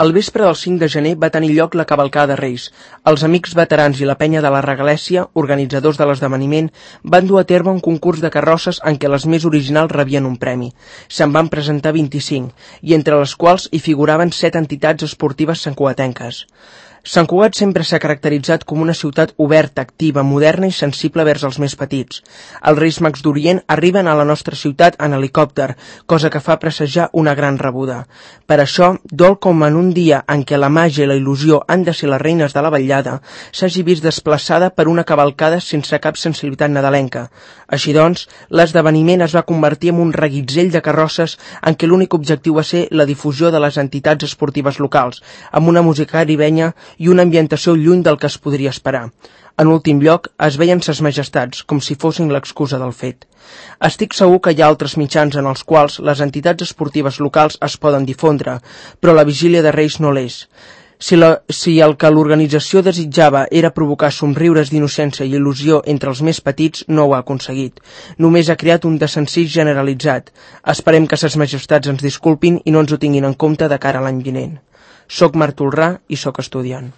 El vespre del 5 de gener va tenir lloc la cavalcada de Reis. Els Amics Veterans i la Penya de la Regalèssia, organitzadors de l'esdeveniment, van dur a terme un concurs de carrosses en què les més originals rebien un premi. Se'n van presentar 25, i entre les quals hi figuraven 7 entitats esportives santcugatenques. Sant Cugat sempre s'ha caracteritzat com una ciutat oberta, activa, moderna i sensible vers els més petits. Els Reis Mags d'Orient arriben a la nostra ciutat en helicòpter, cosa que fa presagiar una gran rebuda. Per això, dol com en un dia en què la màgia i la il·lusió han de ser les reines de la vetllada, s'hagi vist desplaçada per una cavalcada sense cap sensibilitat nadalenca. Així doncs, l'esdeveniment es va convertir en un reguitzell de carrosses en què l'únic objectiu va ser la difusió de les entitats esportives locals, amb una música caribenya i una ambientació lluny del que es podria esperar. En últim lloc, es veien ses majestats, com si fossin l'excusa del fet. Estic segur que hi ha altres mitjans en els quals les entitats esportives locals es poden difondre, però la vigília de Reis no l'és. Si el que l'organització desitjava era provocar somriures d'innocència i il·lusió entre els més petits, no ho ha aconseguit. Només ha creat un desencís generalitzat. Esperem que ses majestats ens disculpin i no ens ho tinguin en compte de cara a l'any vinent. Soc Marc Tolrà i soc estudiant.